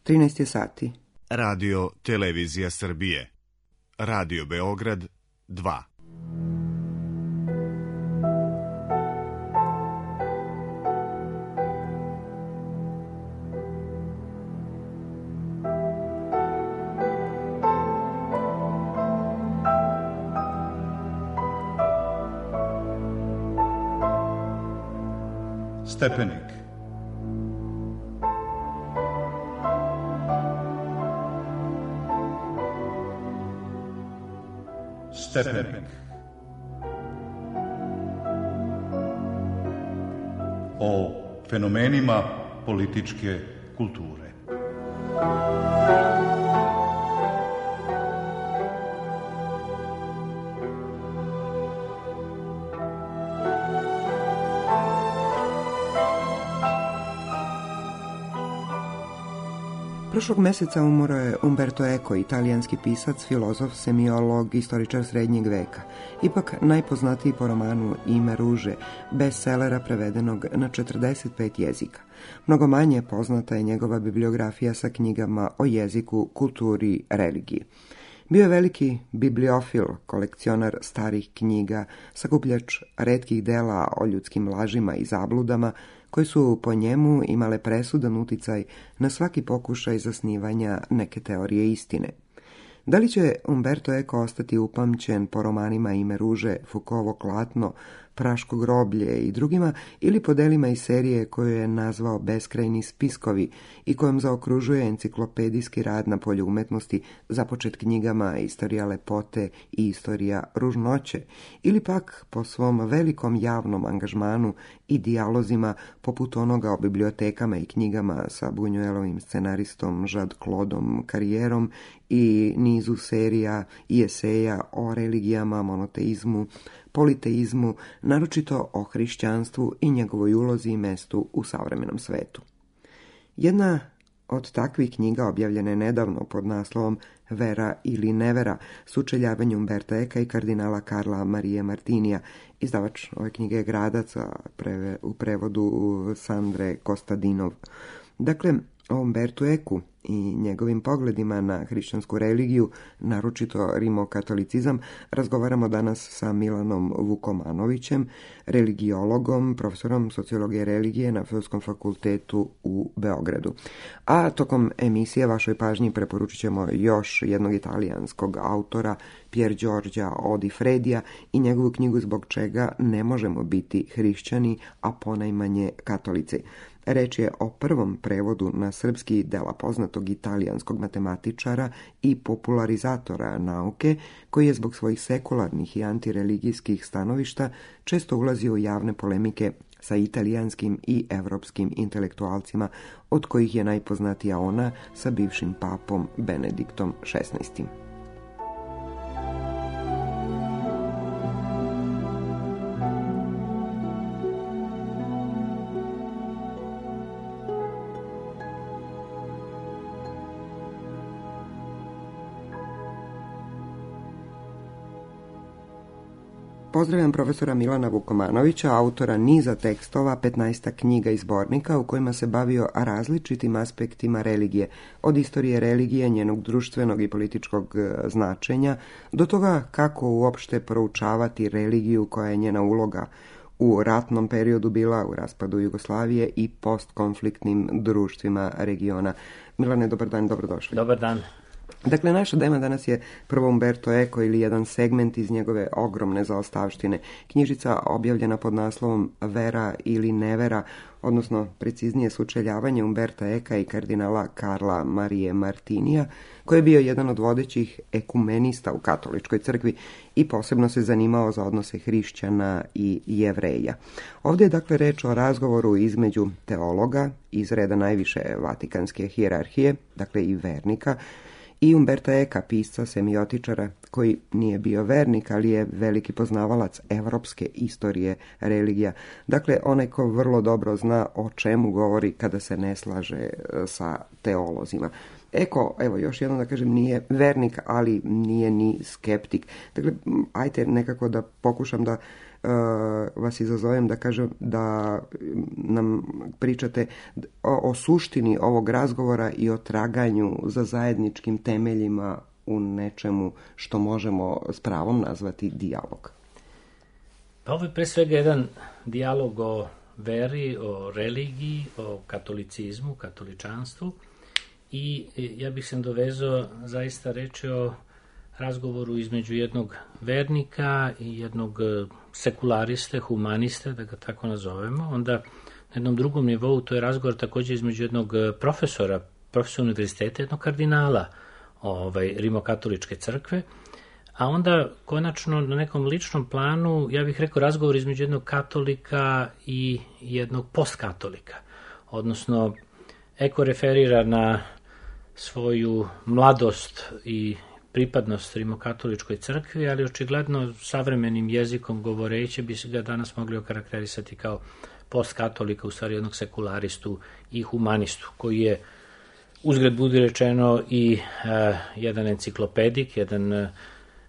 13 je sati. Radio Televizija Srbije. Radio Beograd 2. Stepenik. Stepenik. O fenomenima političke kulture. Prošlog meseca umro je Umberto Eco, italijanski pisac, filozof, semiolog, istoričar srednjeg veka. Ipak najpoznatiji po romanu Ime ruže, bestsellera prevedenog na 45 jezika. Mnogo manje poznata je njegova bibliografija sa knjigama o jeziku, kulturi, religiji. Bio je veliki bibliofil, kolekcionar starih knjiga, sakupljač retkih dela o ljudskim lažima i zabludama, koje su po njemu imale presudan uticaj na svaki pokušaj zasnivanja neke teorije istine. Da li će Umberto Eco ostati upamćen po romanima Ime ruže, Foucaultovo klatno, Praško groblje i drugima, ili po delima iz serije koju je nazvao Beskrajni spiskovi i kojom zaokružuje enciklopedijski rad na polju umetnosti započet knjigama Istorija lepote i Istorija ružnoće, ili pak po svom velikom javnom angažmanu i dijalozima poput onoga o bibliotekama i knjigama sa Buñuelovim scenaristom Jean-Claudeom Carrierom i nizu serija i eseja o religijama, monoteizmu, politeizmu, naročito o hrišćanstvu i njegovoj ulozi i mestu u savremenom svetu. Jedna od takvih knjiga objavljena je nedavno pod naslovom Vera ili nevera, sučeljavanje Umberta Eca i kardinala Karla Marije Martinija. Izdavač ove knjige je Gradac, u prevodu Sandre Kostadinov. Dakle, o Umbertu Ecu i njegovim pogledima na hrišćansku religiju, naročito rimokatolicizam, razgovaramo danas sa Milanom Vukomanovićem, religijologom, profesorom sociologije religije na Filozofskom fakultetu u Beogradu. A tokom emisije vašoj pažnji preporučit ćemo još jednog italijanskog autora, Pier Giorgia Odifredija, i njegovu knjigu Zbog čega ne možemo biti hrišćani, a ponajmanje katolici. Reč je o prvom prevodu na srpski dela poznatog italijanskog matematičara i popularizatora nauke, koji je zbog svojih sekularnih i antireligijskih stanovišta često ulazio u javne polemike sa italijanskim i evropskim intelektualcima, od kojih je najpoznatija ona sa bivšim papom Benediktom XVI. Pozdravljam profesora Milana Vukomanovića, autora niza tekstova, 15 knjiga i zbornika u kojima se bavio različitim aspektima religije, od istorije religije, njenog društvenog i političkog značenja, do toga kako uopšte proučavati religiju, koja je njena uloga u ratnom periodu bila, u raspadu Jugoslavije i postkonfliktnim društvima regiona. Milane, dobar dan, dobrodošli. Dobar dan. Dakle, naša tema danas je prvo Umberto Eco ili jedan segment iz njegove ogromne zaostavštine. Knjižica objavljena pod naslovom Vera ili nevera, odnosno preciznije sučeljavanje Umberta Eca i kardinala Karla Marije Martinija, koji je bio jedan od vodećih ekumenista u katoličkoj crkvi i posebno se zanimao za odnose hrišćana i Jevreja. Ovdje je dakle reč o razgovoru između teologa iz reda najviše vatikanske hijerarhije, dakle i vernika, i Umberta Eca, pisca, semiotičara, koji nije bio vernik, ali je veliki poznavalac evropske istorije religija. Dakle, onaj ko vrlo dobro zna o čemu govori kada se ne slaže sa teolozima. Eco, evo još jednom da kažem, nije vernik, ali nije ni skeptik. Dakle, ajte nekako da pokušam da vas izazovem da kažem da nam pričate o suštini ovog razgovora i o traganju za zajedničkim temeljima u nečemu što možemo s pravom nazvati dijalog. Pa ovo je pre svega jedan dijalog o veri, o religiji, o katolicizmu, katoličanstvu i ja bih se dovezao zaista reći o razgovoru između jednog vernika i jednog sekulariste, humaniste, da ga tako nazovemo. Onda na jednom drugom nivou to je razgovor također između jednog profesora univerziteta, jednog kardinala Rimokatoličke crkve, a onda konačno na nekom ličnom planu, ja bih rekao razgovor između jednog katolika i jednog postkatolika, odnosno Eko referira na svoju mladost i pripadnost Rimokatoličkoj crkvi, ali očigledno savremenim jezikom govoreći bi se ga danas mogli okarakterisati kao postkatolika, u stvari jednog sekularistu i humanistu, koji je uzgred budi rečeno i jedan enciklopedik, jedan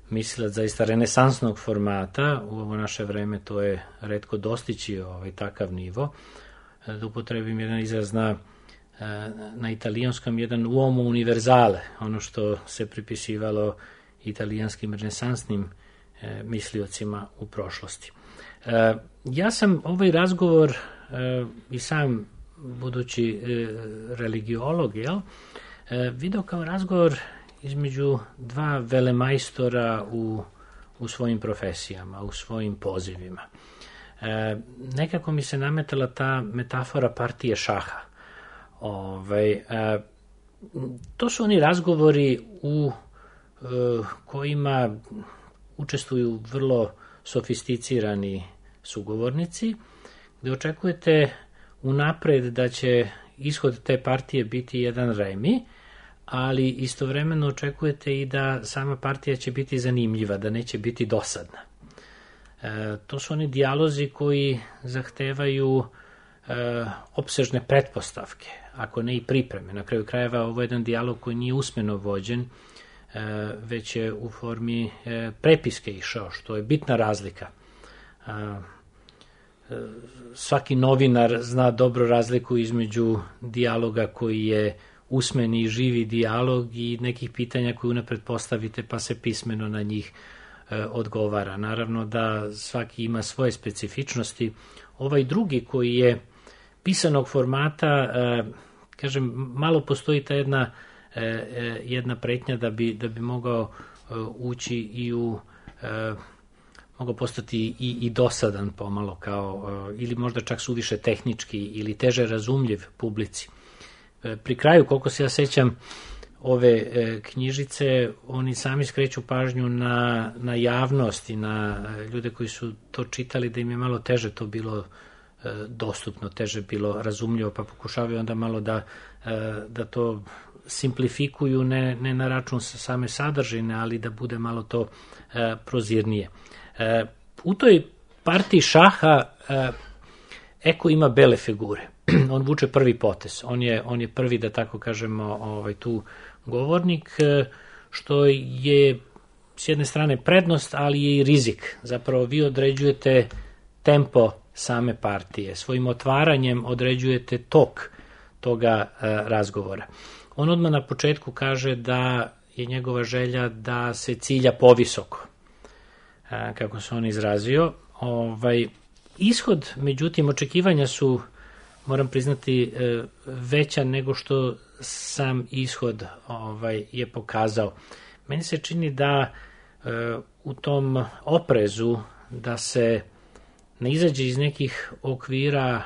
mislilac zaista renesansnog formata. U ovo naše vreme to je retko dostići takav nivo. Da upotrebim jedan izraz na italijanskom, jedan uomo univerzale, ono što se pripisivalo italijanskim renesansnim misliocima u prošlosti. Ja sam ovaj razgovor i sam budući religiolog, video kao razgovor između dva velemajstora u svojim profesijama, u svojim pozivima. Nekako mi se nametala ta metafora partije šaha. To su oni razgovori u kojima učestvuju vrlo sofisticirani sugovornici, gde očekujete unapred da će ishod te partije biti jedan remi, ali istovremeno očekujete i da sama partija će biti zanimljiva, da neće biti dosadna. To su oni dijalozi koji zahtevaju opsežne pretpostavke, ako ne i pripreme. Na kraju krajeva ovo je jedan dijalog koji nije usmeno vođen, već je u formi prepiske išao, što je bitna razlika. Svaki novinar zna dobro razliku između dijaloga koji je usmeni i živi dijalog i nekih pitanja koje unapred postavite pa se pismeno na njih odgovara. Naravno da svaki ima svoje specifičnosti. Ovaj drugi koji je pisanog formata, kažem, malo postoji ta jedna pretnja da bi mogao ući i mogao postati i dosadan pomalo, kao, ili možda čak suviše tehnički ili teže razumljiv publici. Pri kraju, koliko se ja sećam ove knjižice, oni sami skreću pažnju na javnost i na ljude koji su to čitali, da im je malo teže to bilo dostupno, teže bilo razumljivo, pa pokušavaju onda malo da to simplifikuju, ne na račun same sadržine, ali da bude malo to prozirnije. U toj partiji šaha Eko ima bele figure. On vuče prvi potez. On je prvi, da tako kažemo, tu govornik, što je s jedne strane prednost, ali je i rizik. Zapravo vi određujete tempo same partije. Svojim otvaranjem određujete tok toga razgovora. On odmah na početku kaže da je njegova želja da se cilja povisoko, kako se on izrazio. Ishod, međutim, očekivanja su, moram priznati, veća nego što sam ishod je pokazao. Meni se čini da u tom oprezu da se ne izađe iz nekih okvira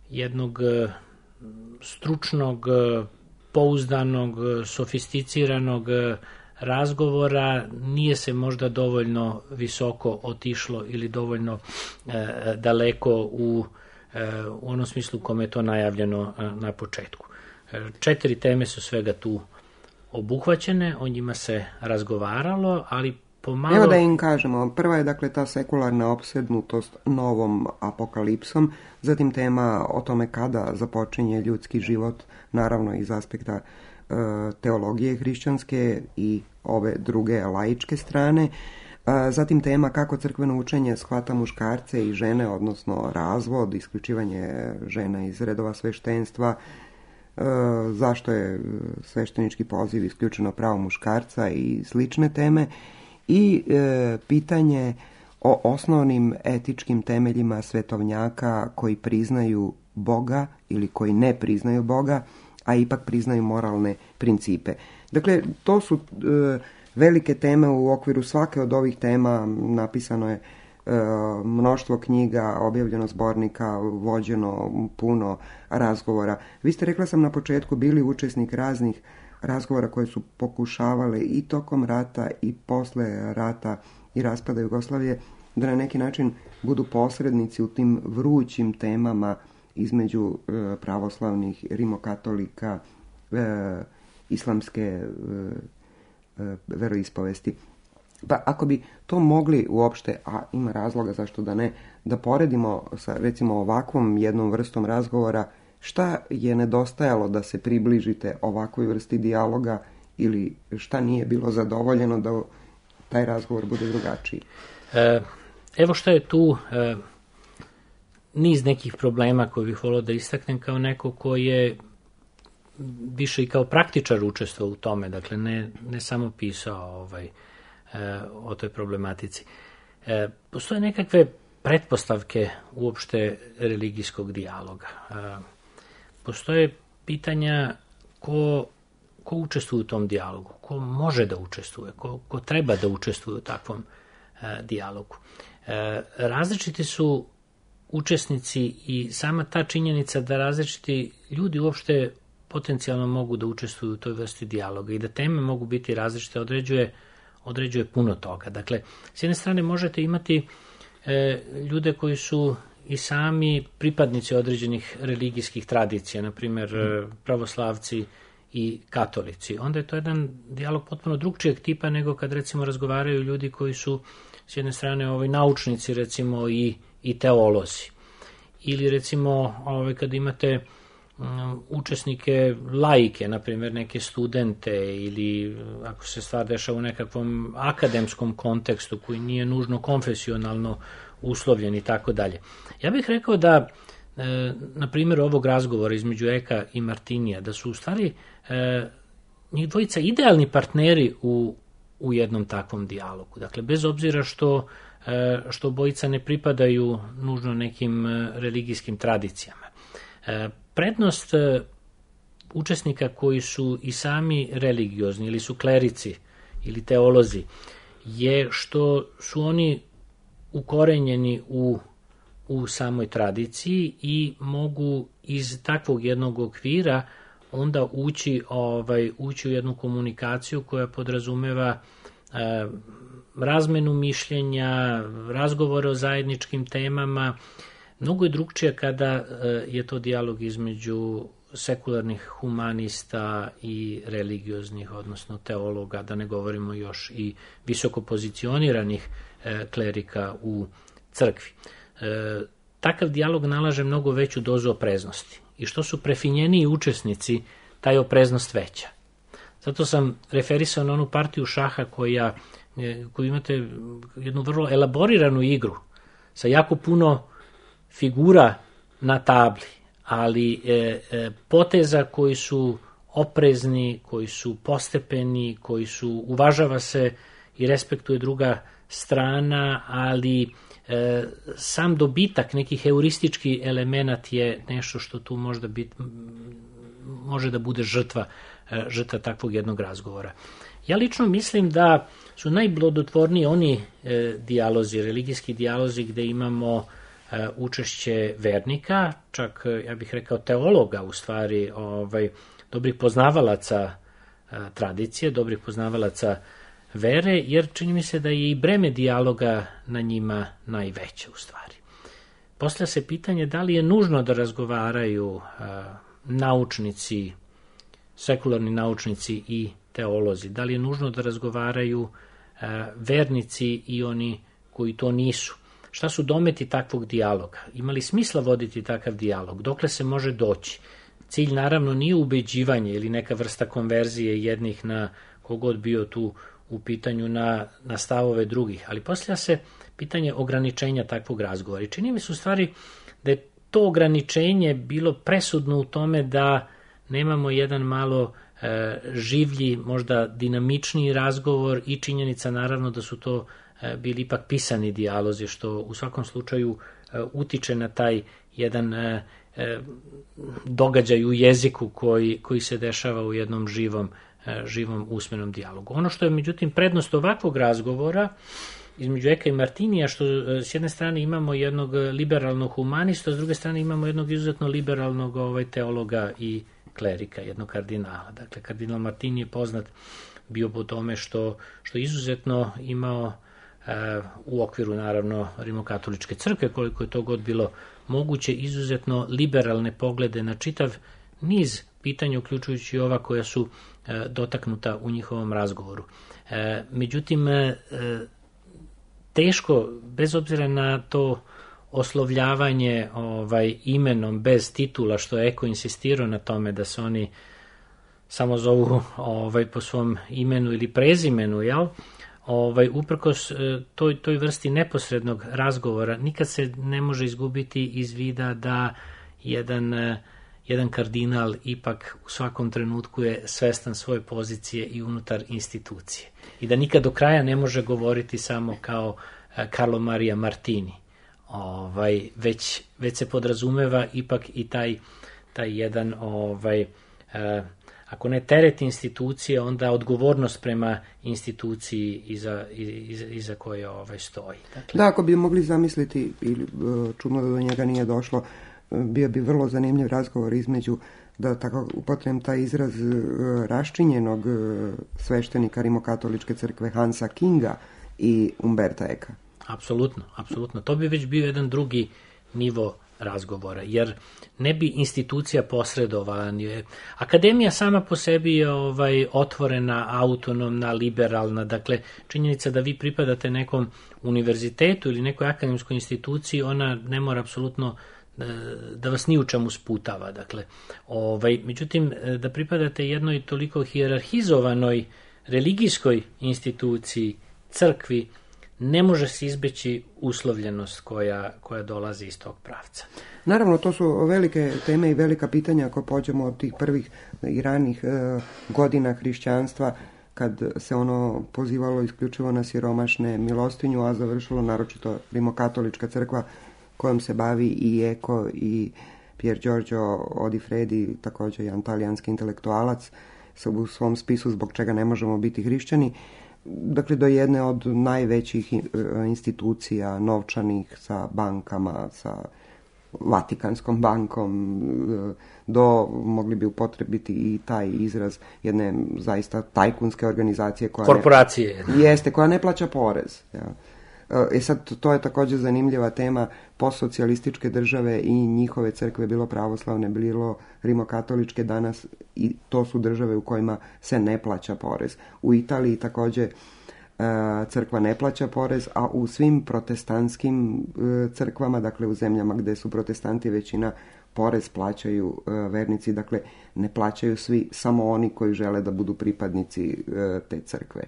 jednog stručnog, pouzdanog, sofisticiranog razgovora, nije se možda dovoljno visoko otišlo ili dovoljno daleko u onom smislu kome je to najavljeno na početku. 4 teme su svega tu obuhvaćene, o njima se razgovaralo, ali pomalo... Evo da im kažemo, prva je dakle ta sekularna opsednutost novom apokalipsom, zatim tema o tome kada započinje ljudski život, naravno iz aspekta teologije hrišćanske i ove druge laičke strane, Zatim tema kako crkveno učenje shvata muškarce i žene, odnosno razvod, isključivanje žena iz redova sveštenstva, zašto je sveštenički poziv isključeno pravo muškarca i slične teme, i pitanje o osnovnim etičkim temeljima svetovnjaka koji priznaju Boga ili koji ne priznaju Boga, a ipak priznaju moralne principe. Dakle, to su velike teme. U okviru svake od ovih tema napisano je mnoštvo knjiga, objavljeno zbornika, vođeno puno razgovora. Vi ste, rekla sam na početku, bili učesnik raznih razgovora koje su pokušavale i tokom rata i posle rata i raspada Jugoslavije da na neki način budu posrednici u tim vrućim temama između pravoslavnih, rimokatolika, islamske veroispovesti. Pa ako bi to mogli uopšte, a ima razloga zašto da ne, da poredimo sa recimo ovakvom jednom vrstom razgovora, šta je nedostajalo da se približite ovakvoj vrsti dijaloga ili šta nije bilo zadovoljeno da taj razgovor bude drugačiji? Evo šta je tu niz nekih problema koje bih volio da istaknem kao neko ko je više i kao praktičar učestvovao u tome, dakle ne samo pisao o toj problematici. Postoje nekakve pretpostavke uopšte religijskog dijaloga. Postoje pitanja ko učestvuje u tom dijalogu, ko može da učestvuje, ko treba da učestvuje u takvom dijalogu. Različiti su učesnici i sama ta činjenica da različiti ljudi uopšte potencijalno mogu da učestvuju u toj vrsti dijaloga i da teme mogu biti različite određuje puno toga. Dakle, s jedne strane možete imati ljude koji su i sami pripadnici određenih religijskih tradicija, na primjer pravoslavci i katolici. Onda je to jedan dijalog potpuno drugčijeg tipa nego kad recimo razgovaraju ljudi koji su s jedne strane naučnici recimo i teolozi. Ili recimo kad imate učesnike laike, na primjer neke studente ili ako se stvar dešava u nekakvom akademskom kontekstu koji nije nužno konfesionalno uslovljen i tako dalje. Ja bih rekao da na primjer ovog razgovora između Eka i Martinija, da su u stvari njih dvojica idealni partneri u jednom takvom dijalogu. Dakle, bez obzira što obojica ne pripadaju nužno nekim religijskim tradicijama. Prednost učesnika koji su i sami religiozni ili su klerici ili teolozi je što su oni ukorenjeni u samoj tradiciji i mogu iz takvog jednog okvira onda ući u jednu komunikaciju koja podrazumeva razmenu mišljenja, razgovore o zajedničkim temama. Mnogo je drugčije kada je to dijalog između sekularnih humanista i religioznih, odnosno teologa, da ne govorimo još i visoko pozicioniranih klerika u crkvi. Takav dijalog nalaže mnogo veću dozu opreznosti i što su prefinjeniji učesnici, taj opreznost veća. Zato sam referisao na onu partiju šaha koju imate jednu vrlo elaboriranu igru sa jako puno figura na tabli, ali poteza koji su oprezni, koji su postepeni, koji su, uvažava se i respektuje druga strana, ali sam dobitak, neki heuristički element je nešto što tu može da bude žrtva takvog jednog razgovora. Ja lično mislim da su najblodotvorniji oni dijalozi, religijski dijalozi gde imamo učešće vernika, čak ja bih rekao teologa u stvari, dobrih poznavalaca tradicije, dobrih poznavalaca vere, jer čini mi se da je i breme dijaloga na njima najveće u stvari. Postavlja se pitanje da li je nužno da razgovaraju naučnici, sekularni naučnici i teolozi, da li je nužno da razgovaraju vernici i oni koji to nisu. Šta su dometi takvog dijaloga? Ima li smisla voditi takav dijalog? Dokle se može doći? Cilj naravno nije ubeđivanje ili neka vrsta konverzije jednih na kogod bio tu u pitanju na stavove drugih, ali postavlja se pitanje ograničenja takvog razgovora. I čini mi se u stvari da je to ograničenje bilo presudno u tome da nemamo jedan malo življi, možda dinamičniji razgovor i činjenica naravno da su to bili ipak pisani dijalozi, što u svakom slučaju utiče na taj jedan događaj u jeziku koji se dešava u jednom živom usmenom dijalogu. Ono što je međutim prednost ovakvog razgovora između Eka i Martinija, što s jedne strane imamo jednog liberalnog humanista, s druge strane imamo jednog izuzetno liberalnog teologa i klerika, jednog kardinala. Dakle, kardinal Martini je poznat bio po tome što izuzetno imao u okviru naravno rimokatoličke crkve, koliko je to god bilo moguće, izuzetno liberalne poglede na čitav niz pitanja, uključujući ova koja su dotaknuta u njihovom razgovoru. Međutim, teško, bez obzira na to oslovljavanje imenom bez titula, što je Eko insistirao na tome da se oni samo zovu po svom imenu ili prezimenu, jel? Uprkos toj vrsti neposrednog razgovora nikad se ne može izgubiti iz vida da jedan kardinal ipak u svakom trenutku je svestan svoje pozicije i unutar institucije i da nikad do kraja ne može govoriti samo kao Carlo Maria Martini, već se podrazumeva ipak i taj jedan ako ne teret institucije, onda odgovornost prema instituciji iza koje stoji. Dakle, da, ako bi mogli zamisliti, ili čudno da do njega nije došlo, bio bi vrlo zanimljiv razgovor između, da tako upotrebim taj izraz, raščinjenog sveštenika rimokatoličke crkve Hansa Kinga i Umberta Eka. Apsolutno. To bi već bio jedan drugi nivo razgovora, jer ne bi institucija posredovala. Akademija sama po sebi je otvorena, autonomna, liberalna. Dakle, činjenica da vi pripadate nekom univerzitetu ili nekoj akademskoj instituciji, ona ne mora apsolutno da vas ni u čemu sputava. Dakle, međutim, da pripadate jednoj toliko hijerarhizovanoj religijskoj instituciji, crkvi, ne može se izbeći uslovljenost koja dolazi iz tog pravca. Naravno, to su velike teme i velika pitanja ako pođemo od tih prvih i ranih godina hrišćanstva, kad se ono pozivalo isključivo na siromašne, milostinju, a završilo naročito rimokatolička crkva kojom se bavi i Eko i Pier Giorgio Odifredi, također jedan talijanski intelektualac, u svom spisu Zbog čega ne možemo biti hrišćani. Dakle, do jedne od najvećih institucija novčanih sa bankama, sa Vatikanskom bankom, do, mogli bi upotrebiti i taj izraz, jedne zaista tajkunske organizacije korporacije. Koja ne plaća porez. Ja. Sad, to je također zanimljiva tema. Postsocijalističke države i njihove crkve, bilo pravoslavne, bilo rimokatoličke, danas i to su države u kojima se ne plaća porez. U Italiji također crkva ne plaća porez, a u svim protestantskim crkvama, dakle u zemljama gdje su protestanti većina, porez plaćaju vernici, dakle ne plaćaju svi, samo oni koji žele da budu pripadnici te crkve.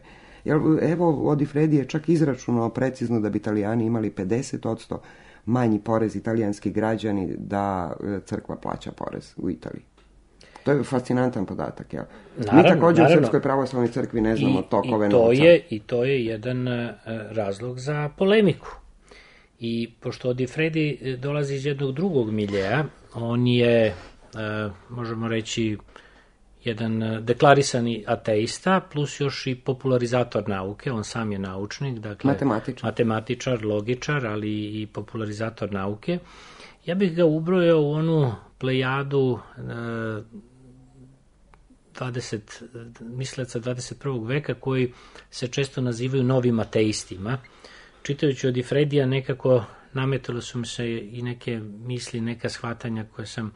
Evo, Odifredi je čak izračunao precizno da bi Italijani imali 50% manji porez, italijanski građani, da crkva plaća porez u Italiji. To je fascinantan podatak. Jel? Mi također u Srpskoj pravoslavnoj crkvi ne znamo tokove novca. I to je jedan razlog za polemiku. I pošto Odifredi dolazi iz jednog drugog miljeja, on je, možemo reći, jedan deklarisani ateista, plus još i popularizator nauke, on sam je naučnik, dakle matematičar, logičar, ali i popularizator nauke. Ja bih ga ubrojao u onu plejadu misleca 21. veka koji se često nazivaju novim ateistima. Čitajući Odifredija nekako nametalo su mi se i neke misli, neka shvatanja koje sam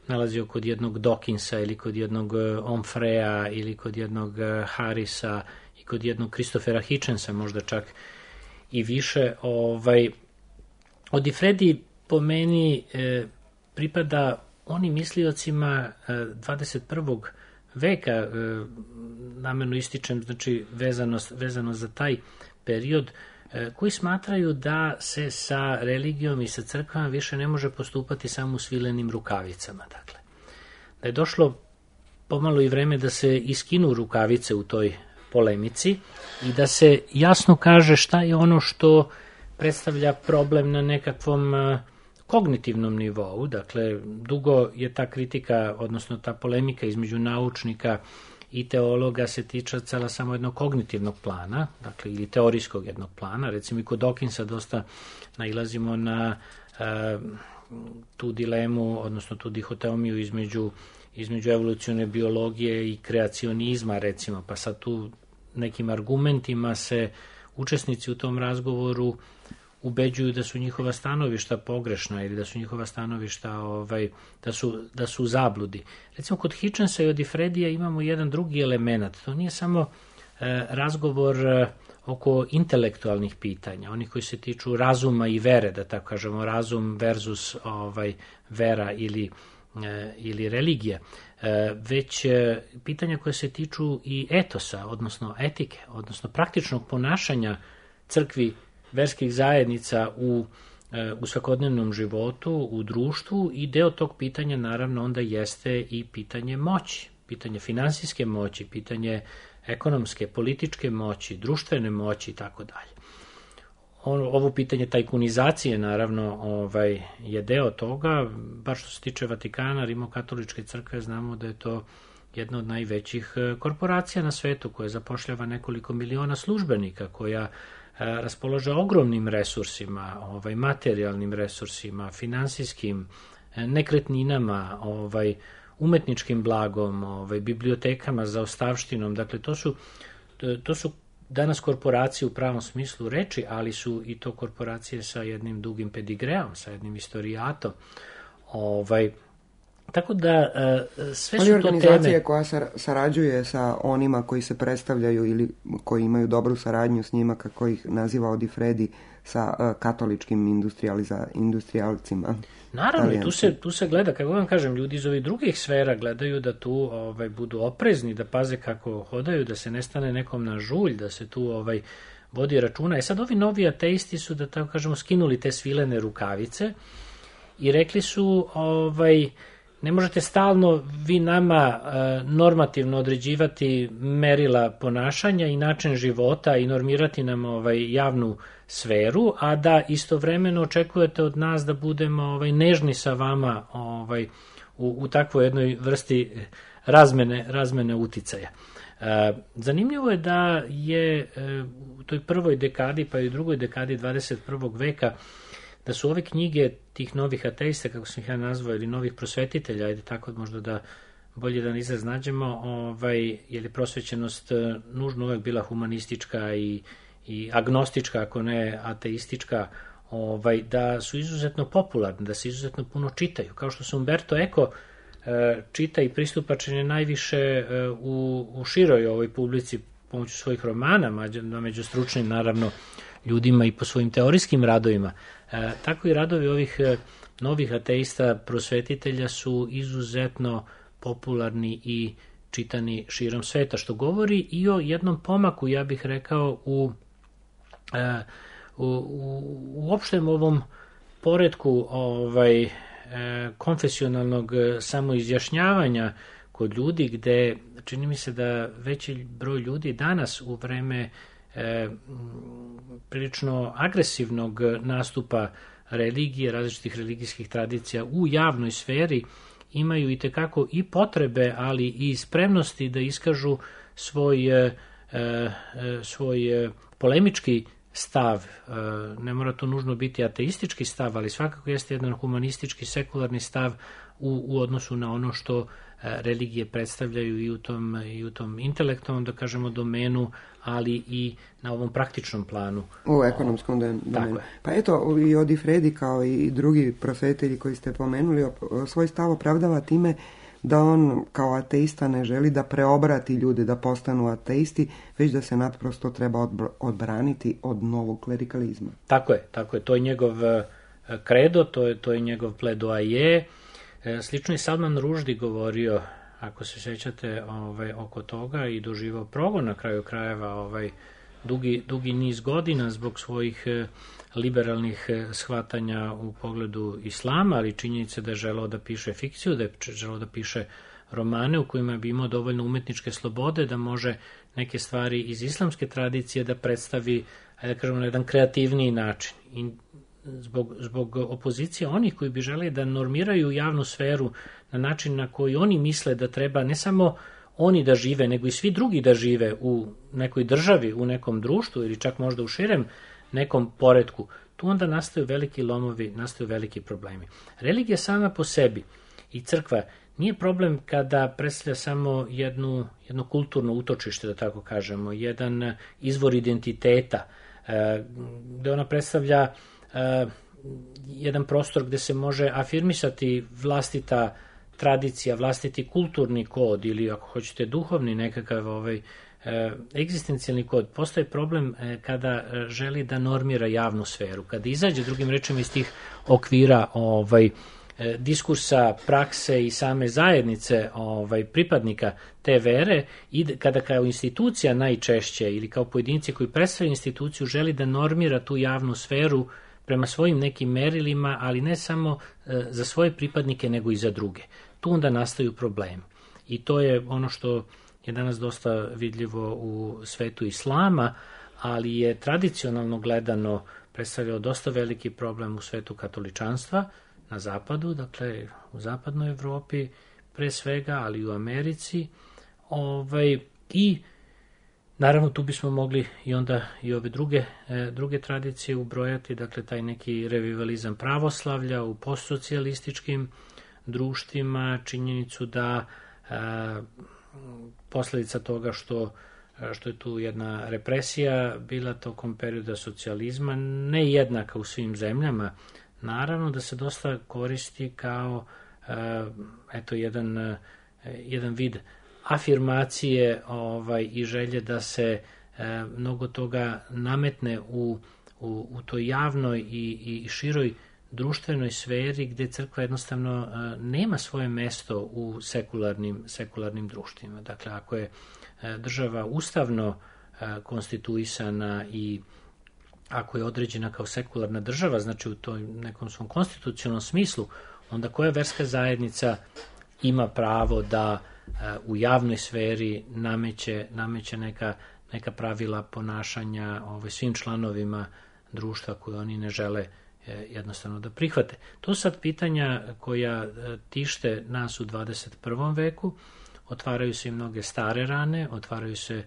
nalazio kod jednog Dawkinsa ili kod jednog Onfrea ili kod jednog Harrisa i kod jednog Christophera Hitchensa, možda čak i više. Odifredi po meni pripada onim misliocima 21. veka, namerno ističem, znači vezano za taj period, koji smatraju da se sa religijom i sa crkvama više ne može postupati samo u svilenim rukavicama. Dakle, da je došlo pomalo i vreme da se iskinu rukavice u toj polemici i da se jasno kaže šta je ono što predstavlja problem na nekakvom kognitivnom nivou. Dakle, dugo je ta kritika, odnosno ta polemika između naučnika i teologa se tiče cela samo jednog kognitivnog plana, dakle, ili teorijskog jednog plana. Recimo i kod Dawkinsa dosta nailazimo na tu dilemu, odnosno tu dihotomiju između evolucione biologije i kreacionizma, recimo, pa sad tu nekim argumentima se učesnici u tom razgovoru ubeđuju da su njihova stanovišta pogrešna ili da su njihova stanovišta da su u zabludi. Recimo, kod Hitchensa i Odifredija imamo jedan drugi element. To nije samo razgovor oko intelektualnih pitanja, onih koji se tiču razuma i vere, da tako kažemo, razum versus vera ili religija, već pitanja koje se tiču i etosa, odnosno etike, odnosno praktičnog ponašanja crkvi, verskih zajednica u svakodnevnom životu, u društvu, i deo tog pitanja naravno onda jeste i pitanje moći, pitanje finansijske moći, pitanje ekonomske, političke moći, društvene moći i tako dalje. Ovo pitanje tajkunizacije naravno je deo toga, bar što se tiče Vatikana, Rimokatoličke crkve, znamo da je to jedna od najvećih korporacija na svetu koja zapošljava nekoliko miliona službenika, koja raspolaže ogromnim resursima, materijalnim resursima, finansijskim, nekretninama, umetničkim blagom, bibliotekama za ostavštinom. Dakle, to su danas korporacije u pravom smislu reči, ali su i to korporacije sa jednim dugim pedigreom, sa jednim istorijatom. Tako da sve su to teme. Ali organizacija koja sarađuje sa onima koji se predstavljaju ili koji imaju dobru saradnju s njima, kako ih naziva Odifredi, sa katoličkim industrijalcima. Naravno, tu se gleda, kako vam kažem, ljudi iz ovih drugih sfera gledaju da tu budu oprezni, da paze kako hodaju, da se ne stane nekom na žulj, da se tu vodi računa. Sad ovi novi ateisti su, da tako kažemo, skinuli te svilene rukavice i rekli su ne možete stalno vi nama normativno određivati merila ponašanja i način života i normirati nam javnu sferu, a da istovremeno očekujete od nas da budemo nežni sa vama u takvoj jednoj vrsti razmene uticaja. Zanimljivo je da je u toj prvoj dekadi pa i u drugoj dekadi 21. veka da su ove knjige tih novih ateista, kako sam ih ja nazvao, ili novih prosvetitelja, ajde tako možda da bolje da izraz nađemo, jer je prosvećenost nužno uvek bila humanistička i agnostička, ako ne ateistička, da su izuzetno popularne, da se izuzetno puno čitaju. Kao što se Umberto Eco čita i pristupačan je najviše u široj ovoj publici pomoću svojih romana, među stručnim naravno ljudima i po svojim teorijskim radovima. Tako i radovi ovih novih ateista prosvetitelja su izuzetno popularni i čitani širom sveta, što govori i o jednom pomaku, ja bih rekao, u opštem ovom poretku konfesionalnog samoizjašnjavanja kod ljudi, gde čini mi se da veći broj ljudi danas u vreme prilično agresivnog nastupa religije, različitih religijskih tradicija u javnoj sferi imaju itekako i potrebe, ali i spremnosti da iskažu svoj polemički stav. Ne mora to nužno biti ateistički stav, ali svakako jeste jedan humanistički, sekularni stav u odnosu na ono što religije predstavljaju i u tom intelektualnom, da kažemo, domenu, ali i na ovom praktičnom planu. U ekonomskom domenu. Pa eto, i Odifredi kao i drugi prosvetitelji koji ste pomenuli, svoj stav opravdava time da on kao ateista ne želi da preobrati ljude da postanu ateisti, već da se naprosto treba odbraniti od novog klerikalizma. Tako je. To je njegov kredo, to je njegov pledoaje. Slično je Salman Rushdie govorio ako se sećate, oko toga i doživao progon na kraju krajeva dugi niz godina zbog svojih liberalnih shvatanja u pogledu islama, ali činjenica da je želeo da piše fikciju, da je želeo da piše romane u kojima bi imao dovoljno umetničke slobode da može neke stvari iz islamske tradicije da predstavi, da kažemo, na jedan kreativniji način. I zbog opozicije onih koji bi želeli da normiraju javnu sferu na način na koji oni misle da treba ne samo oni da žive, nego i svi drugi da žive u nekoj državi, u nekom društvu ili čak možda u širem nekom poretku, tu onda nastaju veliki lomovi, nastaju veliki problemi. Religija sama po sebi i crkva nije problem kada predstavlja samo jedno kulturno utočište, da tako kažemo, jedan izvor identiteta, gde ona predstavlja jedan prostor gde se može afirmisati vlastita tradicija, vlastiti kulturni kod ili ako hoćete duhovni nekakav egzistencijalni kod. Postoji problem kada želi da normira javnu sferu, kada izađe drugim rečima iz tih okvira diskursa, prakse i same zajednice pripadnika te vere i kada kao institucija najčešće ili kao pojedinci koji predstavljaju instituciju želi da normira tu javnu sferu prema svojim nekim merilima, ali ne samo za svoje pripadnike nego i za druge. Tu onda nastaju problemi. I to je ono što je danas dosta vidljivo u svetu islama, ali je tradicionalno gledano predstavljao dosta veliki problem u svetu katoličanstva, na zapadu, dakle u zapadnoj Evropi pre svega, ali i u Americi. I naravno tu bismo mogli i onda i ove druge tradicije ubrojati, dakle taj neki revivalizam pravoslavlja u postsocijalističkim društvima, činjenicu da posledica toga što je tu jedna represija bila tokom perioda socijalizma, ne jednaka u svim zemljama, naravno da se dosta koristi kao jedan vid afirmacije i želje da se mnogo toga nametne u toj javnoj i široj društvenoj sferi gde crkva jednostavno nema svoje mesto u sekularnim društvima. Dakle, ako je država ustavno konstituisana i ako je određena kao sekularna država, znači u tom nekom svom konstitucionalnom smislu, onda koja verska zajednica ima pravo da u javnoj sferi nameće neka pravila ponašanja svim članovima društva koje oni ne žele jednostavno da prihvate. To su sad pitanja koja tište nas u 21. veku, otvaraju se i mnoge stare rane, otvaraju se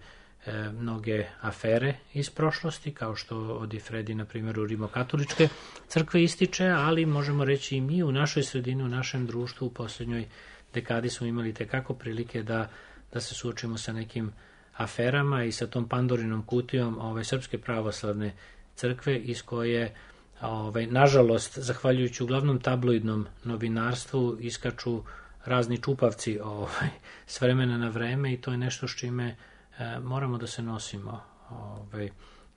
mnoge afere iz prošlosti, kao što Odifredi, na primjer, u rimokatoličke crkve ističe, ali možemo reći i mi u našoj sredini, u našem društvu, u posljednjoj dekadi smo imali tekako prilike da se suočimo sa nekim aferama i sa tom Pandorinom kutijom Srpske pravoslavne crkve, iz koje, nažalost, zahvaljujući uglavnom tabloidnom novinarstvu, iskaču razni čupavci s vremena na vreme, i to je nešto s čime moramo da se nosimo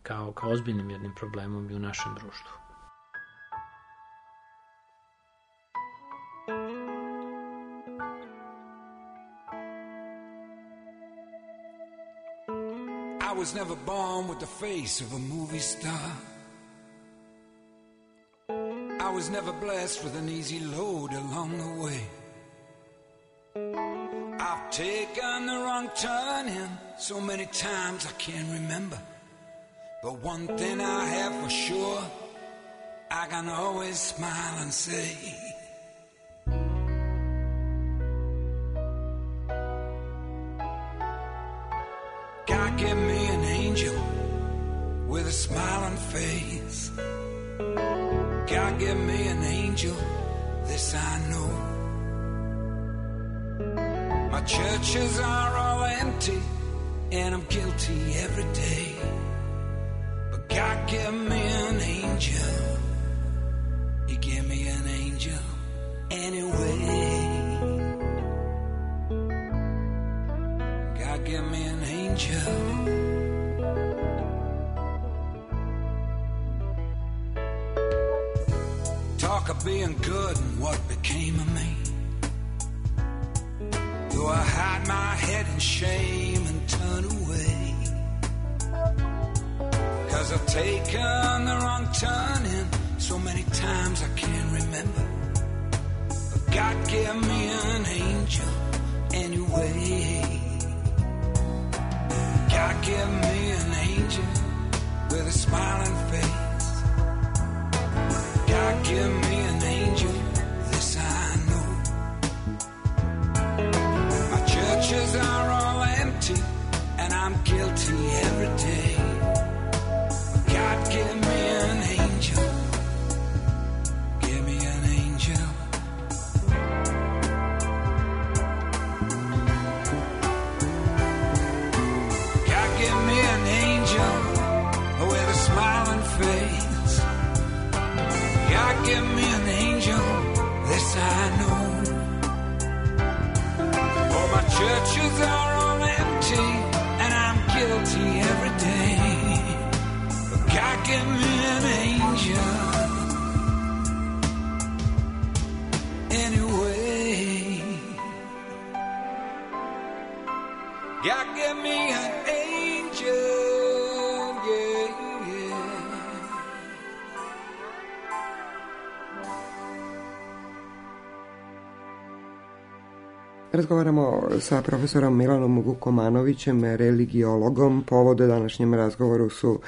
kao ozbiljnim jednim problemom i u našem društvu. I was never born with the face of a movie star. I was never blessed with an easy load along the way. I've taken the wrong turn in so many times I can't remember. But one thing I have for sure, I can always smile and say, God give me an angel with a smiling face. God give me an angel, this I know. My churches are all empty, and I'm guilty every day. But God give me an angel. He gave me an angel anyway. God give me an angel. Talk of being good and what became of me. So I hide my head in shame and turn away. 'Cause I've taken the wrong turning so many times I can't remember. But God gave me an angel anyway. God gave me an angel with a smiling face. God gave me an angel, this I know. My churches are all empty and I'm guilty every day. God give me an angel, give me an angel. God give me an angel with a smiling face. God give me an angel, this I know. Oh, my churches are all empty and I'm guilty every day. God give me an angel anyway. God give me an angel, yeah, yeah. Razgovaramo sa profesorom Milanom Vukomanovićem, religiologom. Povode današnjem razgovoru su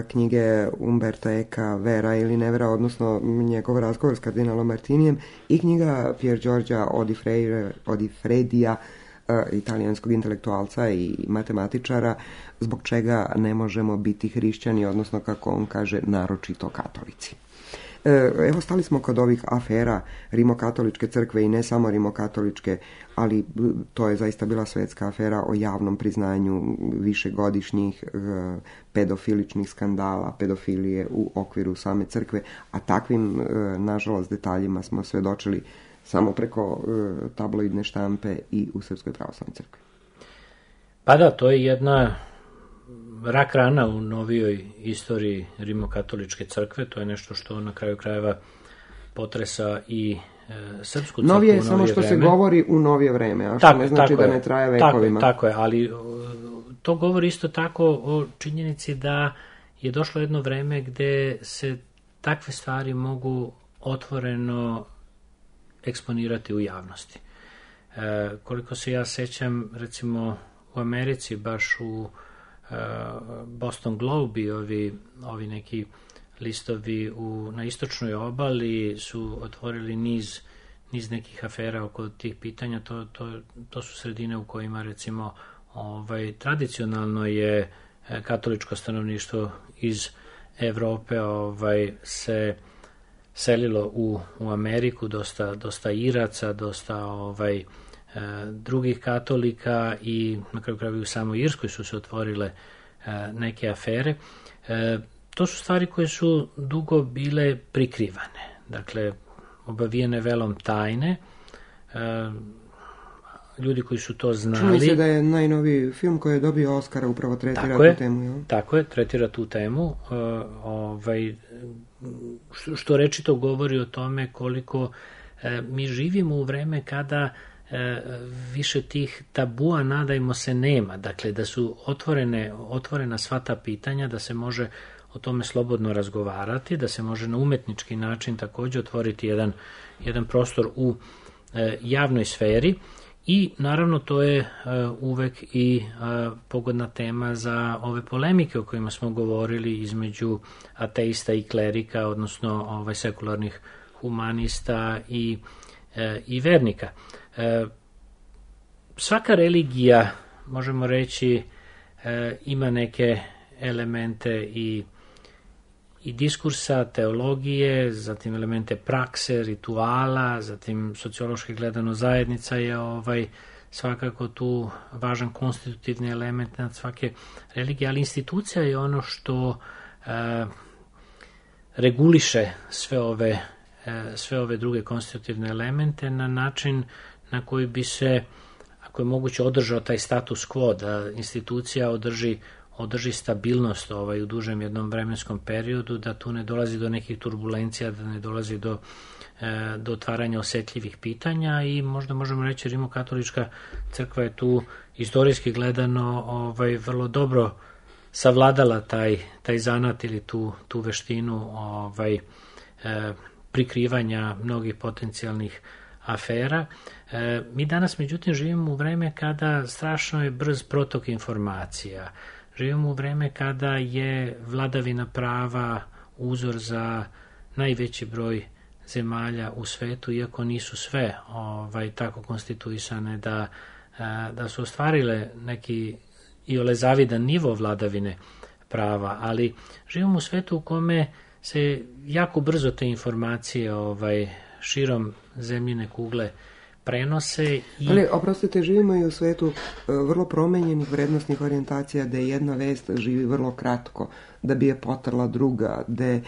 knjige Umberta Eka Vera ili nevera, odnosno njegov razgovor s kardinalom Martinijem, i knjiga Pier Giorgia Odifredija, italijanskog intelektualca i matematičara, Zbog čega ne možemo biti hrišćani, odnosno, kako on kaže, naročito katolici. Evo, stali smo kod ovih afera Rimokatoličke crkve i ne samo Rimokatoličke, ali to je zaista bila svetska afera o javnom priznanju višegodišnjih pedofiličnih skandala, pedofilije u okviru same crkve, a takvim, nažalost, detaljima smo svedočili samo preko tabloidne štampe i u Srpskoj pravoslavnoj crkvi. Pa da, to je jedna rak rana u novijoj istoriji Rimokatoličke crkve. To je nešto što na kraju krajeva potresa i srpsku crkvu. Novije je samo što vreme se govori u novije vreme, a što ne znači da ne traje vekovima. Tako je, ali to govori isto tako o činjenici da je došlo jedno vreme gde se takve stvari mogu otvoreno eksponirati u javnosti. Koliko se ja sećam, recimo u Americi, baš u Boston Globe i ovi neki listovi na istočnoj obali su otvorili niz nekih afera oko tih pitanja. To su sredine u kojima, recimo, tradicionalno je katoličko stanovništvo iz Evrope se selilo u Ameriku, dosta Iraca, dosta drugih katolika, i na kraju krajeva u samoj Irskoj su se otvorile neke afere. To su stvari koje su dugo bile prikrivane, dakle obavijene velom tajne. Ljudi koji su to znali... Čini se da je najnoviji film koji je dobio Oscara upravo tretira tu temu. Jel? Tako je, tretira tu temu. Što rečito govori o tome koliko mi živimo u vreme kada više tih tabua, nadajmo se, nema. Dakle, da su otvorena sva ta pitanja, da se može o tome slobodno razgovarati, da se može na umetnički način također otvoriti jedan prostor u javnoj sferi. I naravno to je uvek i pogodna tema za ove polemike o kojima smo govorili između ateista i klerika, odnosno sekularnih humanista i vernika. Svaka religija, možemo reći, ima neke elemente i diskursa, teologije, zatim elemente prakse, rituala, zatim sociološki gledano zajednica je svakako tu važan konstitutivni element nad svake religije, ali institucija je ono što reguliše sve ove druge konstitutivne elemente na način na koji bi se, ako je moguće, održao taj status quo, da institucija održi održi stabilnost u dužem jednom vremenskom periodu, da tu ne dolazi do nekih turbulencija, da ne dolazi do otvaranja osetljivih pitanja i možda možemo reći Rimokatolička crkva je tu istorijski gledano vrlo dobro savladala taj zanat ili tu veštinu prikrivanja mnogih potencijalnih afera. Mi danas međutim živimo u vreme kada strašno je brz protok informacija. Živimo u vreme kada je vladavina prava uzor za najveći broj zemalja u svetu, iako nisu sve tako konstituisane da su ostvarile neki iole zavidan nivo vladavine prava, ali živimo u svetu u kome se jako brzo te informacije širom zemljine kugle prenose. Ali, oprostite, živimo i u svetu vrlo promenjenih vrednostnih orijentacija, da jedna vest živi vrlo kratko, da bi je potrla druga, da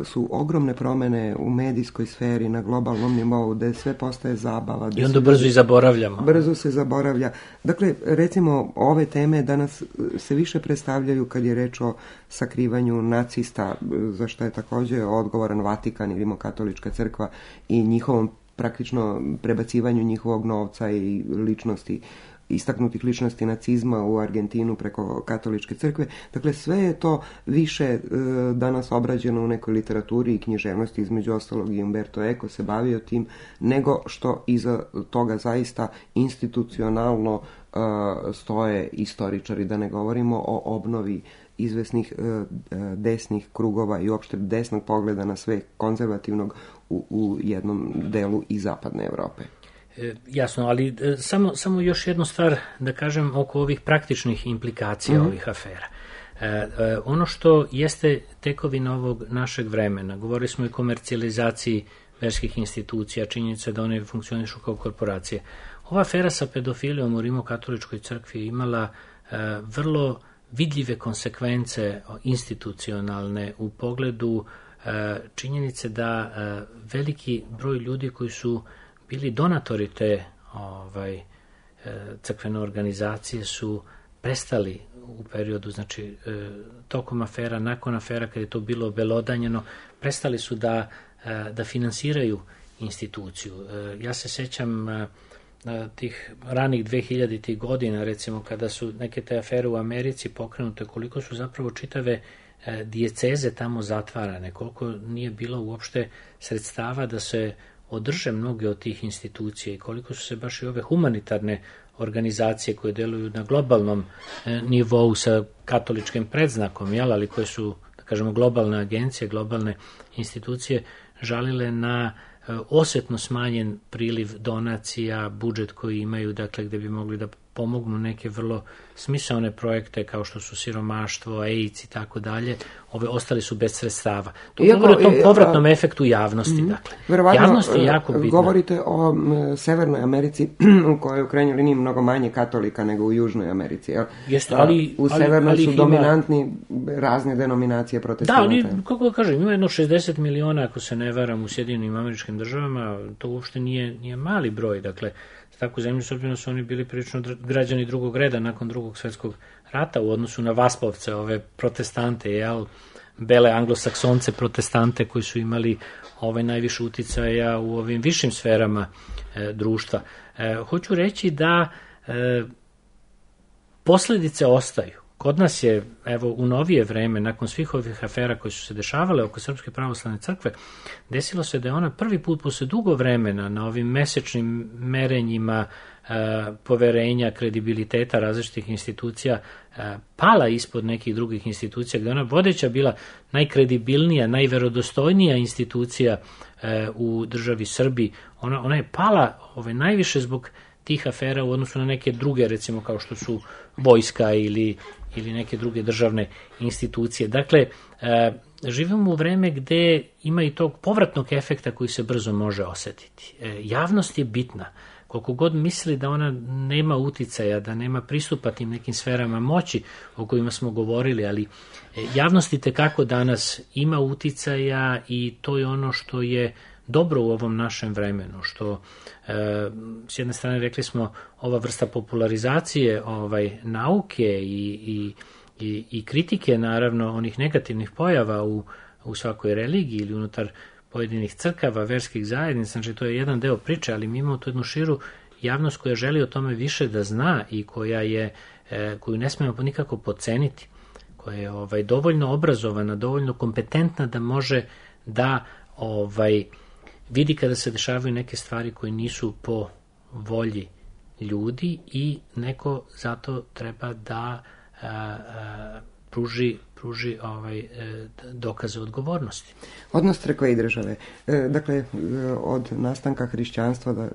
su ogromne promene u medijskoj sferi na globalnom nivou, da sve postaje zabava. I onda brzo i zaboravljamo. Brzo se zaboravlja. Dakle, recimo, ove teme danas se više predstavljaju kad je reč o sakrivanju nacista, za što je također odgovoran Vatikan i Rimokatolička crkva i njihovom praktično prebacivanju njihovog novca i istaknutih ličnosti nacizma u Argentinu preko katoličke crkve. Dakle, sve je to više danas obrađeno u nekoj literaturi i književnosti, između ostalog i Umberto Eco se bavio tim, nego što iza toga zaista institucionalno stoje istoričari, da ne govorimo o obnovi izvesnih desnih krugova i uopšte desnog pogleda na sve konzervativnog u jednom delu i zapadne Evrope. Jasno, ali samo još jednu stvar da kažem oko ovih praktičnih implikacija ovih afera. Ono što jeste tekovina ovog našeg vremena, govorili smo i o komercijalizaciji verskih institucija, činjenica da one funkcionišu kao korporacije. Ova afera sa pedofilijom u Rimokatoličkoj crkvi je imala vrlo vidljive konsekvence institucionalne u pogledu činjenice da veliki broj ljudi koji su bili donatori te crkvene organizacije su prestali u periodu, znači tokom afera, nakon afera kad je to bilo obelodanjeno, prestali su da finansiraju instituciju. Ja se sećam tih ranih 2000-ih godina, recimo kada su neke te afere u Americi pokrenute, koliko su zapravo čitave dijeceze tamo zatvarane, koliko nije bilo uopšte sredstava da se održe mnoge od tih institucija i koliko su se baš i ove humanitarne organizacije koje deluju na globalnom nivou sa katoličkim predznakom, ali koje su, da kažemo, globalne agencije, globalne institucije, žalile na osetno smanjen priliv donacija, budžet koji imaju, dakle, gde bi mogli da pomognu neke vrlo smisaone projekte kao što su siromaštvo, AIDS i tako dalje, ostali su bez sredstava. To govori o tom povratnom efektu javnosti. Dakle. Javnost je jako bitna. Govorite o Severnoj Americi u kojoj u krajnjoj liniji mnogo manje katolika nego u Južnoj Americi. Jeste, u Severnoj su dominantni razne denominacije protestanata. Da, ali, kako da kažem, ima jedno 60 miliona, ako se ne varam, u Sjedinjenim Američkim Državama, to uopšte nije mali broj, dakle, takvu zemlju, s obzirom su oni bili prilično građani drugog reda nakon Drugog svjetskog rata u odnosu na Vaspovce, ove protestante, bele anglosaksonce protestante koji su imali najviše uticaja u ovim višim sferama društva. Hoću reći da posljedice ostaju. Kod nas je, u novije vreme, nakon svih ovih afera koje su se dešavale oko Srpske pravoslavne crkve, desilo se da je ona prvi put posle dugo vremena na ovim mesečnim merenjima poverenja, kredibiliteta različitih institucija pala ispod nekih drugih institucija, gde ona vodeća bila najkredibilnija, najverodostojnija institucija u državi Srbiji. Ona je pala najviše zbog tih afera u odnosu na neke druge, recimo kao što su vojska ili neke druge državne institucije. Dakle, živimo u vreme gde ima i tog povratnog efekta koji se brzo može osetiti. Javnost je bitna. Koliko god misli da ona nema uticaja, da nema pristupa tim nekim sferama moći o kojima smo govorili, ali javnost itekako danas ima uticaja i to je ono što je dobro u ovom našem vremenu, što s jedne strane rekli smo ova vrsta popularizacije nauke i kritike naravno onih negativnih pojava u svakoj religiji ili unutar pojedinih crkava, verskih zajednica, znači to je jedan deo priče, ali mi imamo tu jednu širu javnost koja želi o tome više da zna i koju ne smemo nikako podceniti, koja je dovoljno obrazovana, dovoljno kompetentna da može da vidi kada se dešavaju neke stvari koje nisu po volji ljudi i neko zato treba da pruži dokaze odgovornosti. Odnos crkve i države. Dakle, od nastanka hrišćanstva,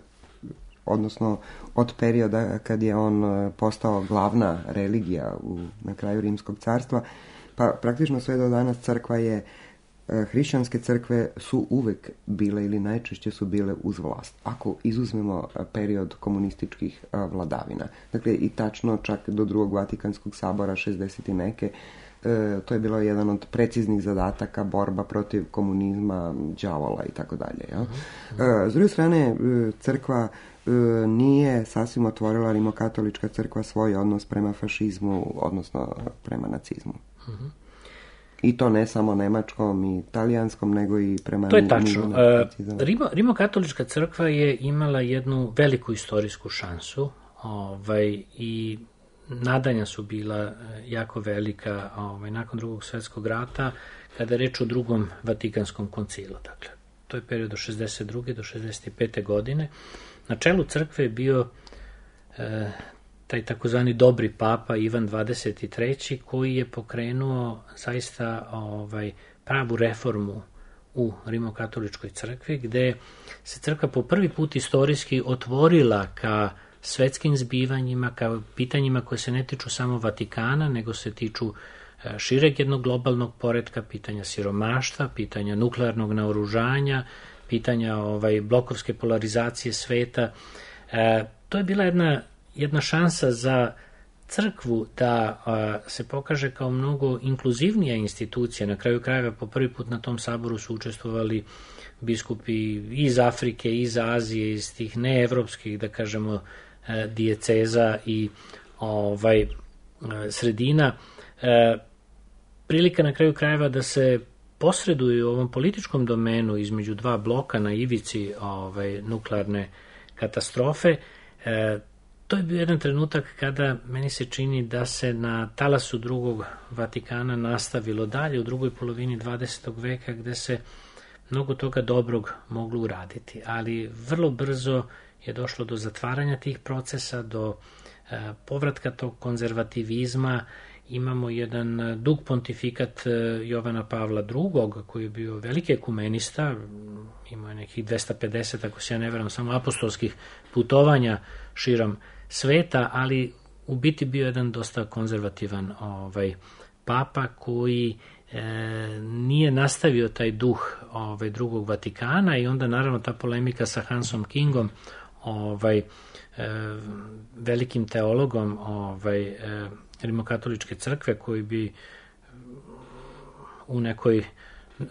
odnosno od perioda kad je on postao glavna religija na kraju Rimskog carstva, pa praktično sve do danas crkva je, hrišćanske crkve su uvek bile ili najčešće su bile uz vlast. Ako izuzmemo period komunističkih vladavina. Dakle, i tačno čak do drugog Vatikanskog sabora 60 i neke, to je bilo jedan od preciznih zadataka, borba protiv komunizma, đavola i tako dalje. S druge strane, crkva nije sasvim otvorila, rimokatolička crkva, svoj odnos prema fašizmu, odnosno prema nacizmu. I to ne samo nemačkom i italijanskom, nego i prema... To je tačno. Rimokatolička crkva je imala jednu veliku istorijsku šansu i nadanja su bila jako velika nakon Drugog svjetskog rata, kada je reč o Drugom Vatikanskom koncilu. Dakle, to je period od 62. do 65. godine. Na čelu crkve je bio taj takozvani dobri papa Ivan 23. koji je pokrenuo zaista pravu reformu u rimokatoličkoj crkvi, gde se crkva po prvi put istorijski otvorila ka svetskim zbivanjima, kao pitanjima koje se ne tiču samo Vatikana, nego se tiču šireg jednog globalnog poretka, pitanja siromaštva, pitanja nuklearnog naoružanja, pitanja blokovske polarizacije sveta. To je bila jedna šansa za crkvu da se pokaže kao mnogo inkluzivnija institucija. Na kraju krajeva po prvi put na tom saboru su učestvovali biskupi iz Afrike, iz Azije, iz tih neevropskih, da kažemo, dijeceza i sredina. Prilika na kraju krajeva da se posreduju u ovom političkom domenu između dva bloka na ivici nuklearne katastrofe. To je bio jedan trenutak kada meni se čini da se na talasu Drugog Vatikana nastavilo dalje u drugoj polovini 20. veka, gde se mnogo toga dobrog moglo uraditi, ali vrlo brzo je došlo do zatvaranja tih procesa, do povratka tog konzervativizma. Imamo jedan dug pontifikat Jovana Pavla II, koji je bio veliki ekumenista, imao je nekih 250, ako se ja ne veram, samo apostolskih putovanja širom sveta, ali u biti bio jedan dosta konzervativan papa koji nije nastavio taj duh Drugog Vatikana i onda naravno ta polemika sa Hansom Kingom, velikim teologom rimokatoličke crkve, koji bi u nekoj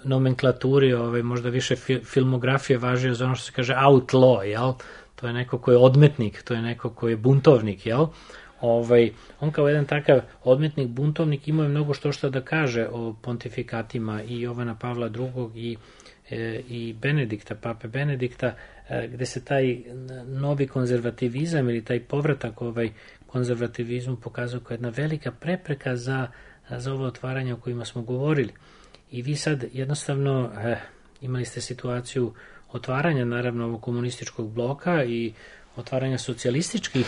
nomenklaturi možda više filmografije važio za ono što se kaže outlaw, jel? To je neko ko je odmetnik, to je neko ko je buntovnik, jel? On kao jedan takav odmetnik, buntovnik, imao je mnogo što da kaže o pontifikatima i Jovana Pavla II i Benedikta, pape Benedikta, gde se taj novi konzervativizam ili taj povratak konzervativizmu pokazao kao jedna velika prepreka za ovo otvaranje o kojima smo govorili. I vi sad jednostavno imali ste situaciju otvaranja naravno ovog komunističkog bloka i otvaranja socijalističkih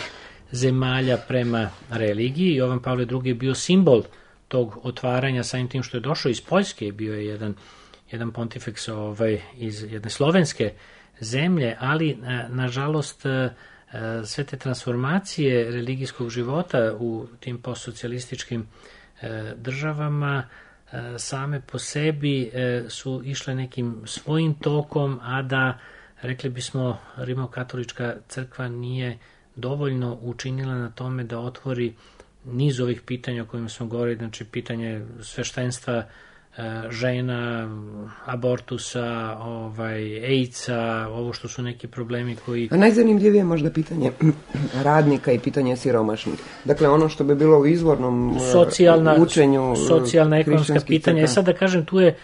zemalja prema religiji. Jovan Pavle II je bio simbol tog otvaranja, samim tim što je došao iz Poljske, bio je jedan pontifeks iz jedne slovenske zemlje, ali nažalost sve te transformacije religijskog života u tim postsocijalističkim državama same po sebi su išle nekim svojim tokom, a da, rekli bismo, rimokatolička crkva nije dovoljno učinila na tome da otvori niz ovih pitanja o kojima smo govorili, znači pitanje sveštenstva žena, abortusa, AIDS-a, ovo što su neki problemi koji... A najzanimljivije je možda pitanje radnika i pitanje siromašnih. Dakle, ono što bi bilo u izvornom učenju socijalna, ekonomska pitanja. Sad da kažem, tu je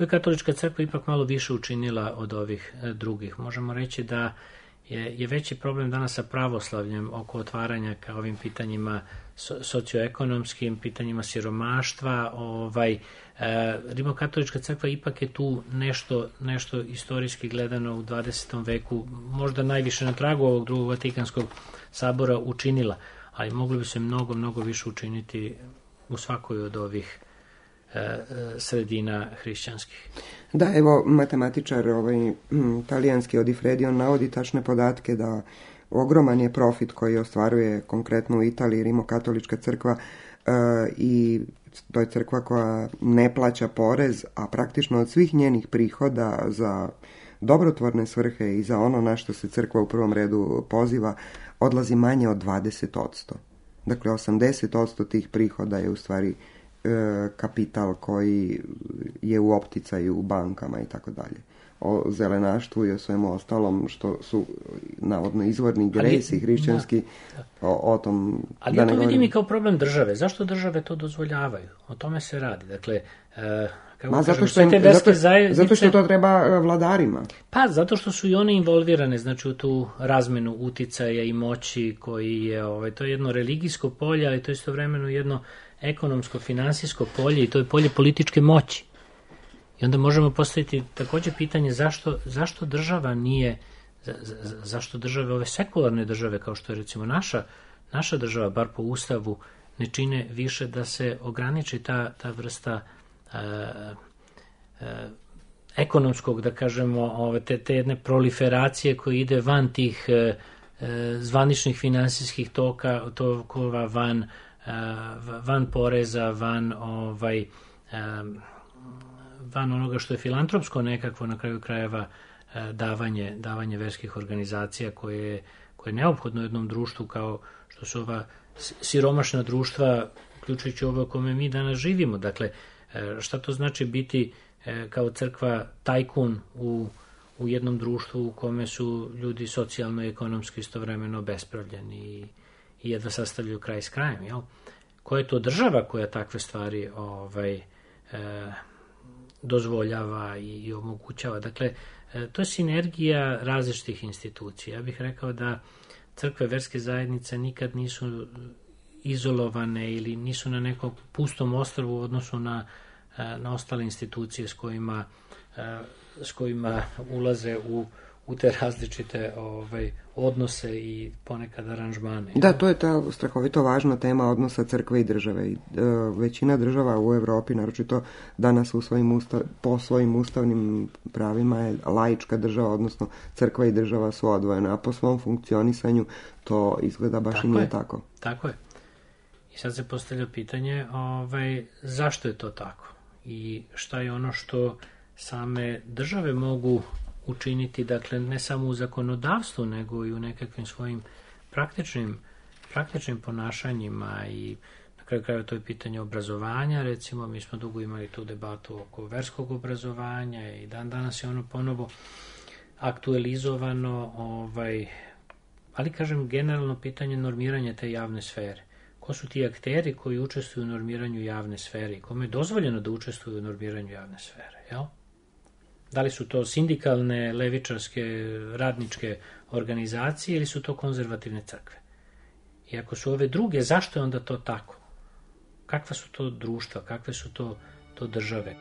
katolička crkva ipak malo više učinila od ovih drugih. Možemo reći da je veći problem danas sa pravoslavljem oko otvaranja ka ovim pitanjima socioekonomskim, pitanjima siromaštva. Rimokatolička crkva ipak je tu nešto istorijski gledano u 20. veku, možda najviše na tragu ovog drugog Vatikanskog sabora učinila, ali moglo bi se mnogo više učiniti u svakoj od ovih sredina hrišćanskih. Da, evo, matematičar talijanski Odifredi, on navodi tačne podatke da ogroman je profit koji ostvaruje konkretno u Italiji Rimokatolička crkva i to je crkva koja ne plaća porez, a praktično od svih njenih prihoda za dobrotvorne svrhe i za ono na što se crkva u prvom redu poziva odlazi manje od 20%. Dakle, 80% tih prihoda je u stvari kapital koji je u opticaju u bankama i tako dalje. O zelenaštvu i o svemu ostalom što su navodno izvorni gresi hrišćanski, o tom... Ali ja to vidim i kao problem države. Zašto države to dozvoljavaju? O tome se radi. Dakle, zato što to treba vladarima. Pa, zato što su i one involvirane, znači u tu razmenu uticaja i moći koji je, to je jedno religijsko polje, ali to je istovremeno jedno ekonomsko, finansijsko polje i to je polje političke moći. I onda možemo postaviti također pitanje zašto država nije, zašto države, ove sekularne države kao što je recimo naša država, bar po Ustavu, ne čine više da se ograniči ta vrsta ekonomskog, da kažemo, te jedne proliferacije koja ide van tih zvaničnih finansijskih tokova, van poreza, van onoga što je filantropsko nekakvo na kraju krajeva davanje verskih organizacija koje je neophodno u jednom društvu kao što su ova siromašna društva, uključujući ovo u kome mi danas živimo. Dakle, šta to znači biti kao crkva tajkun u jednom društvu u kome su ljudi socijalno i ekonomski istovremeno obespravljeni i jedva sastavljaju kraj s krajem, jel? Koja je to država koja takve stvari dozvoljava i omogućava. Dakle, to je sinergija različitih institucija. Ja bih rekao da crkve, verske zajednice nikad nisu izolovane ili nisu na nekom pustom ostrvu u odnosu na ostale institucije s kojima ulaze u te različite odnose i ponekad aranžmane. Da, to je ta strahovito važna tema odnosa crkve i države. Većina država u Europi, naročito danas po svojim ustavnim pravima je laička država, odnosno crkva i država su odvojene, a po svom funkcionisanju to izgleda baš i nije tako. Tako je. I sad se postavlja pitanje zašto je to tako i šta je ono što same države mogu učiniti, dakle, ne samo u zakonodavstvu, nego i u nekakvim svojim praktičnim ponašanjima i na kraju krajeva to je pitanje obrazovanja. Recimo, mi smo dugo imali tu debatu oko verskog obrazovanja i danas je ono ponovo aktualizovano, ali kažem generalno pitanje normiranja te javne sfere. Ko su ti akteri koji učestvuju u normiranju javne sfere i kome je dozvoljeno da učestvuju u normiranju javne sfere, jel? Da li su to sindikalne, levičarske, radničke organizacije ili su to konzervativne crkve? I ako su ove druge, zašto je onda to tako? Kakva su to društva, kakve su to države?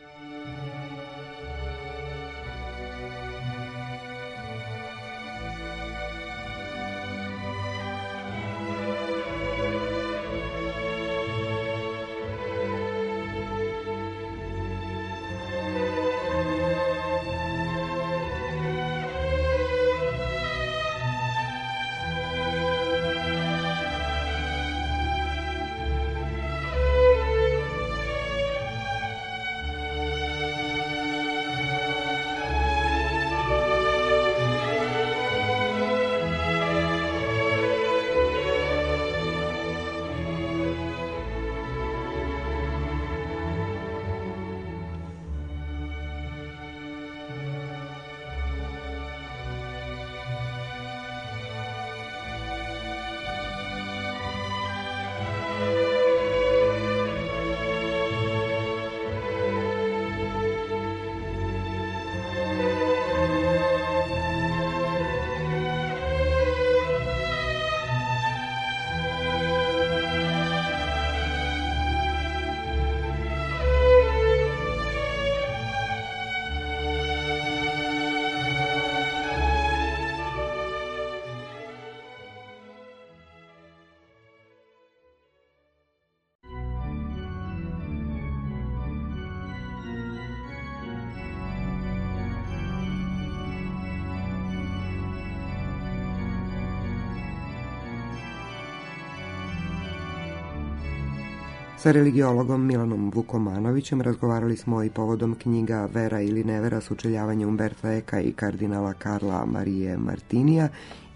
Sa religiologom Milanom Vukomanovićem razgovarali smo i povodom knjiga Vera ili nevera, sučeljavanje Umberta Eka i kardinala Karla Marije Martinija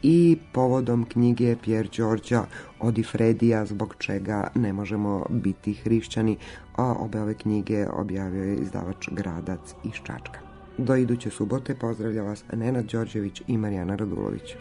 i povodom knjige Pier Giorgia Odifredija, zbog čega ne možemo biti hrišćani, a obe ove knjige objavio je izdavač Gradac iz Čačka. Do iduće subote pozdravlja vas Nenad Đorđević i Marijana Radulović.